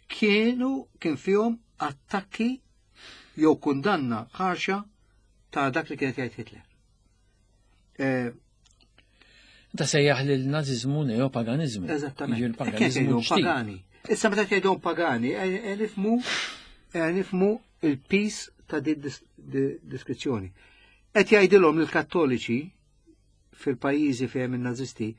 kienu kien fihom attakki jew kundanna ħarxa ta' dak li kienet jgħid Hitler. Eh, Ta' sejjaħ lil naziżmu neopaganizmu. Eżattament. Jiġifieri Kien paganizmu jgħidhom ġdid. pagani. Issa meta jgħidhom pagani, eh, eh, nifhmu eh, nifhmu il-pis ta' di dis- di diskrizzjoni. Qed jgħidilhom lill-Kattoliċi fil-pajjiżi fejn in-nazisti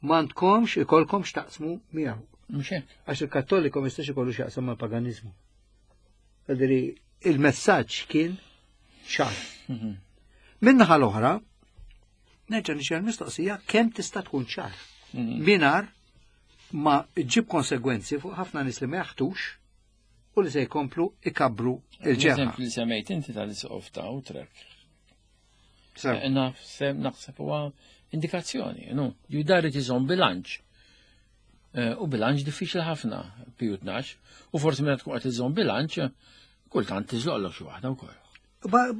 m'għandkomx ikolkom x'taqsmu miegħu. Mhux hekk. Għax il-Kattoliku ma jistax ikollu x'jaqsam mal-paganizmu. Ġifieri il-messaġġ kien ċar. Mhm. Min-naħa l-oħra, nerġa' nixgħel mistoqsija kemm tista' tkun ċar. Mhm. Mingħajr ma ġib konsegwenzi fuq ħafna nies li ma jaħtux u li se jkomplu ikabru il-ġerħa. L-eżempju li semmejt inti tal-isqof ta' Utrecht. Sew. Eh, Naħseb naħseb huwa indikazzjoni, no? Judari iżomm bilanċ. Eh, U bilanċ diffiċli ħafna, Piju tnax, u forsi meta tkun qed iżomm bilanċ, kultant tiżloqlok xi waħda wkoll. Ba-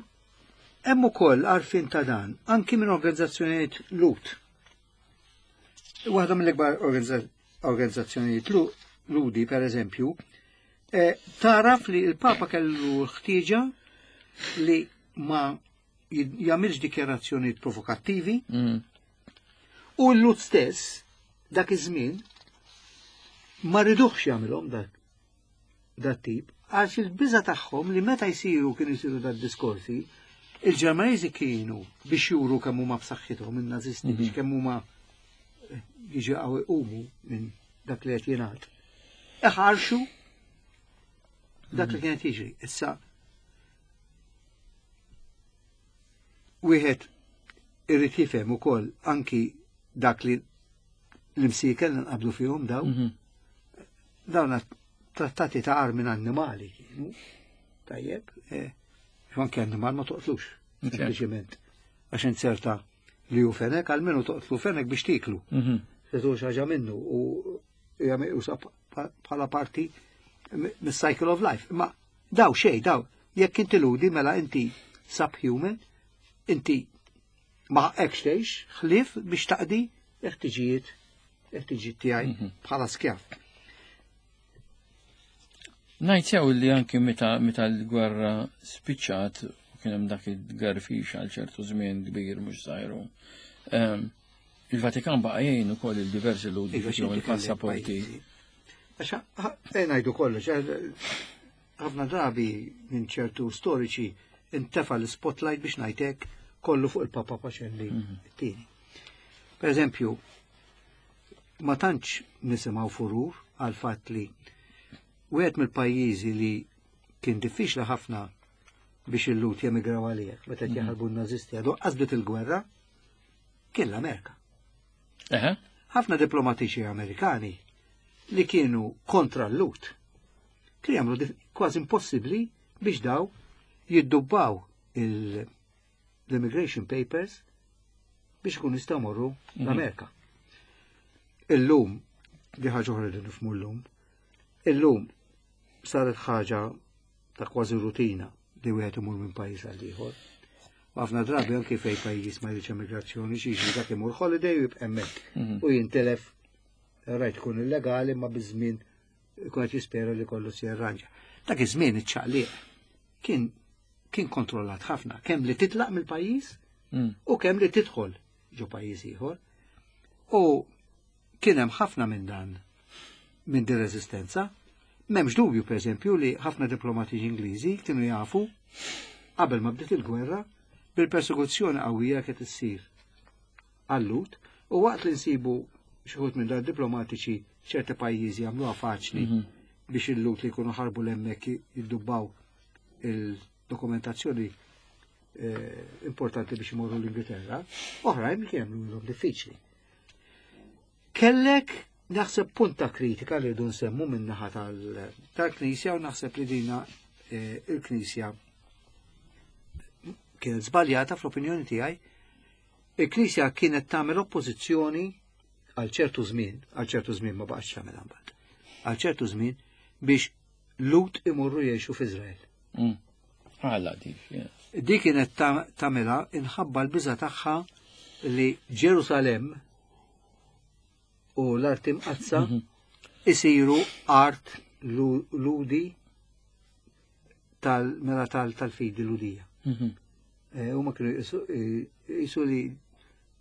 Hemm ukoll għarfien ta' dan, anki minn organizzazzjonijiet Lhud. Waħda mill-ikbar organizza- organizzazzjonijiet Lu- Lhudi, per eżempju, eh, taraf li il-Papa kellu l-ħtieġa li ma jid- jagħmilx dikjarazzjonijiet provokattivi Mm. u l-Lhud stess dak iż-żmien ma riduħx jagħmilhom dak dat tip għax il-biża tagħhom li meta jsiru kienu jsiru dat diskorsi il-Ġermaniżi kienu biex juru kemm huma b'saħħithom in-Nazisti biex kemm huma eh, jiġi għaw iqumu minn dak li qed jingħad. Iħarxu dak li kienet jiġri. Issa wieħed irrid jifhem ukoll anki dak li l-imsiekel li nqabdu fihom daw, Mhm. dawn trattati ta' armi annimali kienu. Tajjeb, eh, anke annimal ma toqtlux, Ok. sempliċement. Għax inzerta li hu fenek, almenu toqtlu fenek biex tiklu. Mhm. Se tuħu xi ħaġa minnu u jagħmel usa bħala parti mis-cycle of life. Ma daw xej, daw, jekk inti Lhudi mela inti subhuman, inti ma hekk tgħix ħlief biex taqdi ħtiġijiet ħtiġijiet tiegħi Mhm. bħala skjav. Ngħid sew li anki meta meta l-gwerra spiċċat u kien hemm dak il-garfix għal ċertu żmien kbir mhux żgħiru. Ehm, il-Vatikan baqa' jgħin ukoll il-diversi Lhud Iva, biex x'inti kellek il-passaporti. pajjiżi. Għax eh, ngħidu kollox, eh, ħafna drabi minn ċertu storiċi intefa l-spotlight biex ngħidlek kollu fuq il-Papa Pacelli t-tieni. Per eżempju, ma tantx nisimgħu furur għal fatt li wieħed mill-pajjiżi li kien diffiċli ħafna biex il-Lhud jemigraw għalih, meta qed jaħarbu n-nazisti għadu qasbit il-gwerra, kien l-Amerika. Eħe, Ħafna diplomatiċi Amerikani li kienu kontra l-Lhud kienu jagħmlu dif- kważi impossibbli biex daw jiddubbaw il- l-immigration papers biex ikun jistgħu morru l-Amerika. Illum, di ħaġa oħra li nifhmu llum, illum saret ħaġa ta' kważi rutina li wieħed imur minn pajjiż għal ieħor. U ħafna drabi anki fej pajjiż ma jridx emigrazzjoni xi jiġri dak imur holiday u jibqa' hemmhekk u jintelef rajt tkun illegali ma biż-żmien ikun qed jispera li kollu se jirranġa. Dak iż-żmien iċ-ċaqliq kien kien kontrollat ħafna, kemm li titlaq mill-pajjiż Mm. u kemm li tidħol ġo pajjiż ieħor. U kien hemm ħafna minn dan minn din reżistenza. M'hemmx dubju pereżempju li ħafna diplomatiċi Ingliżi kienu jafu qabel ma bdiet il-gwerra bil-persekuzzjoni qawwija qed issir għal-Lhud u waqt li nsibu xi wħud minn dan diplomatiċi ċerti pajjiżi jagħmluha faċli biex il-Lhud li jkunu ħarbu l-hemmhekk jiddubbaw il-dokumentazzjoni eh, importanti biex imorru l-Ingilterra, oħrajn li kienu jagħmluhom diffiċli. Kellek naħseb punta kritika li rridu nsemmu min-naħa tal- tal-Knisja u naħseb li dina eh, il-Knisja kienet żbaljata fl-opinjoni tiegħi. Il-Knisja kienet tagħmel oppożizzjoni għal ċertu żmien, għal ċertu żmien ma baqgħetx tagħmel imbagħad. Għal ċertu żmien biex Lhud imorru jgħixu f'Iżrael. Mm. Għalla dik, yeah. Di kienet ta- tagħmilha inħabba l-biża tagħha li Ġerusalem u l-art imqaddsa isiru art Lu- Lhudi tal mela tal tal-fidi Lhudija. Mhm. Eh, Huma kienu jisu- eh, jisu li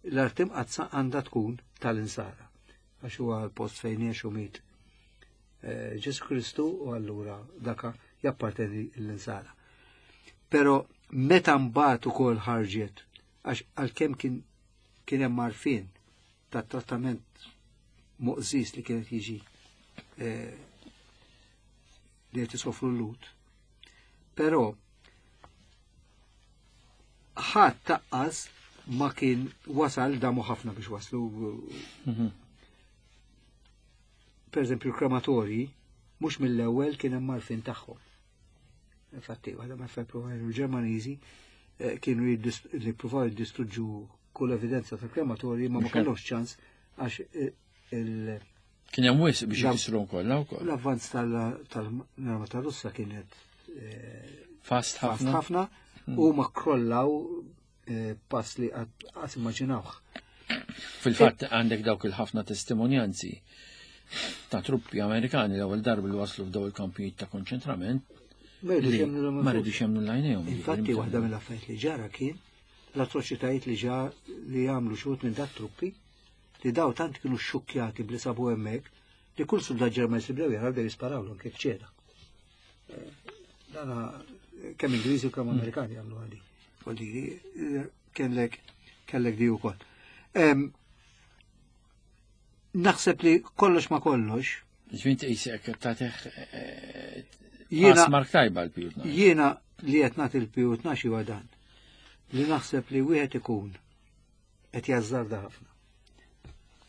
l-art imqaddsa għandha tkun tal-insara. Għax huwa l-post fejn għex u miet eh, Ġesu Kristu u allura daka japparteni l-insara. Pero meta mbagħad ukoll ħarġet għax għalkemm kien kien hemm għarfien ta' trattament moqżis li kienet jiġi eh, li qed isofru l-Lhud. Però ħadd taqqas ma kien wasal damu ħafna biex waslu. Mhm. Per eżempju, l-krematorji mhux mill-ewwel kien hemm għarfien tagħhom. Infatti, waħda ma provaw il-Ġermaniżi eh, kienu jiddist- li provaw jiddistruġġu kull evidenza ta' krematorji ma ma Mhux kellhomx ċans għax eh, il- Kien hemm wisq biex La- jkissru kollha wkoll. l-avvanz tal-arma tal-Russa kienet eh, Fast fast ħafna. ħafna u ma krollaw eh, pass li għas immaġinawh. Fil-fatt għandek dawk il-ħafna testimonjanzi ta' truppi Amerikani l-ewwel darba li waslu f'daw il-kampijiet ta' konċentrament Ma jridux li jemmnu ma rridux jemmnu l-għajnejhom. Infatti, waħda mill-affarijiet li ġara kien l-atroċitajiet li ġa li għamlu xi wħud minn dat truppi li daw tant kienu xukjati bli sabu hemmhekk li kull soldat Ġermaniż li bdew jaraw bdew jisparawlhom kif ċeda. Eh, Dana kemm Ingliżi u kemm Amerikani għamlu għadi. Voldiri, eh, kellek kellek di wkoll. Em, Naħseb li kollox ma kollox, Ġvint qisek tagħtih jiena mark tajba l-Piju Tnax. Jiena li qed nagħti l-Piju Tnax huwa dan. Li naħseb li wieħed ikun qed jażżarda ħafna.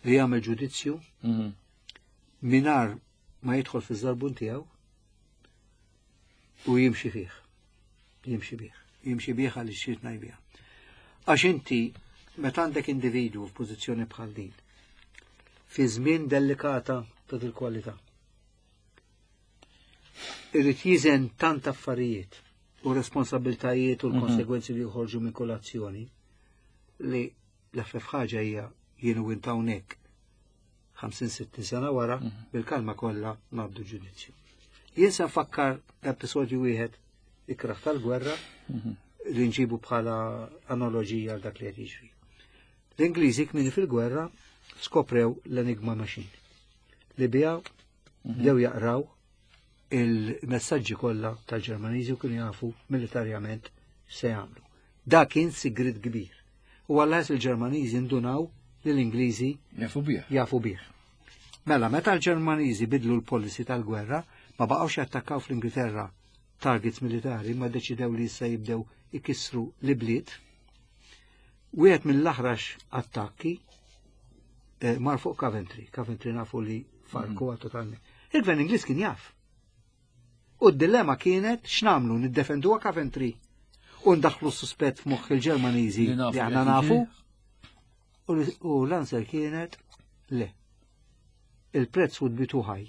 Li jagħmel ġudizzju Mhm. mingħajr ma jidħol fiż-żarbun tiegħu u jimxi fih. Jimxi bih. Jimxi bih għaliex xi ngħid Għax inti meta għandek individwu f'pożizzjoni bħal din, fi żmien delikata ta' dil-kwalità. Irrid jiżen tant affarijiet u responsabiltajiet u l-konsegwenzi li joħorġu minn kull azzjoni li l-eħfef ħaġa hija jien u int hawnhekk ħamsin sittin sena wara bil-kalma kollha ngħaddu ġudizzju. Jien se nfakkar episodju wieħed ikraħ tal-gwerra li nġibu bħala analogija għal dak li qed jiġri. L-Ingliżi kmieni fil-gwerra skoprew l-Enigma Machine li biha bdew jaqraw il-messaġġi kollha tal-Ġermaniżi u kienu jafu militarjament se jagħmlu. Dak kien sigrit kbir. U għallas il-Ġermaniżi ndunaw li l-Ingliżi Jafu bih. jafu bih. Mela, meta l-Ġermaniżi bidlu l-policy tal-gwerra, ma baqgħux jattakkaw fl-Ingilterra targets militari, ma deċidew li issa jibdew ikissru l-bliet. Wieħed mill-aħrax attakki eh, mar fuq Coventry. Coventry nafu li farku mm. totalment. Il-gvern Ingliż kien jaf. U d-dilemma kienet x'namlu niddefenduha Coventry u ndaħlu suspett f'moħħ il-Ġermaniżi Li nafu li aħna li nafu. jiġri. U l- U l-answer kienet le. Il-prezz would be too high.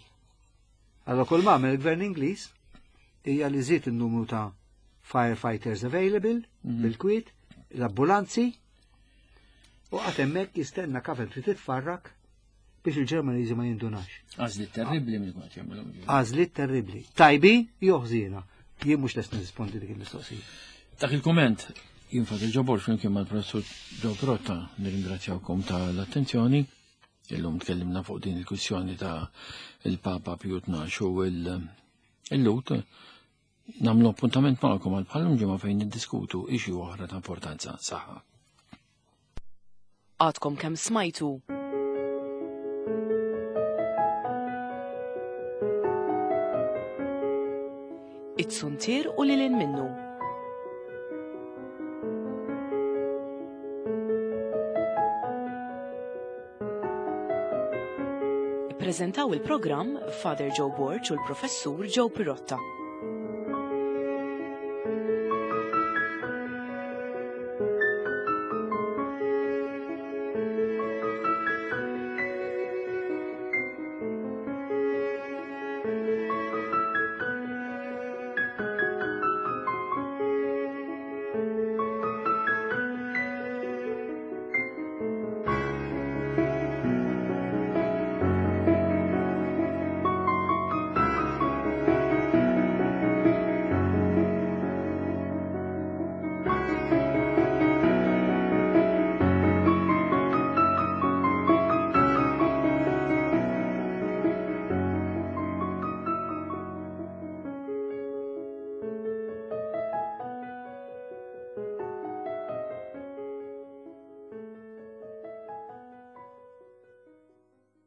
Allora kull ma għamel il-gvern Ingliż hija li żied in-numru ta' firefighters available bil-kwiet, l-ambulanzi, u qagħad hemmhekk jistenna Coventry titfarrak biex il-Ġermaniżi ma jindunax. Għażliet terribli minn kont jagħmlu. Għażliet terribli. Tajbi jew ħżiena. Jien mhux lest nirrispondi dik il-mistoqsija. Dak il-komment, jien Father Joe Borg flimkien mal-professur Joe Pirotta nirringrazzjawkom tal-attenzjoni. Illum tkellimna fuq din il-kwistjoni ta' il-Papa Piju Tnax u il-Lhud. Nagħmlu appuntament magħkom għal bħal-lum ġimgħa fejn niddiskutu issue oħra ta' importanza saħħa. Għadkom kemm smajtu It-Suntier u lil hinn minnu. Ippreżentaw il-programm Father Joe Borg u l-Professur Joe Pirotta.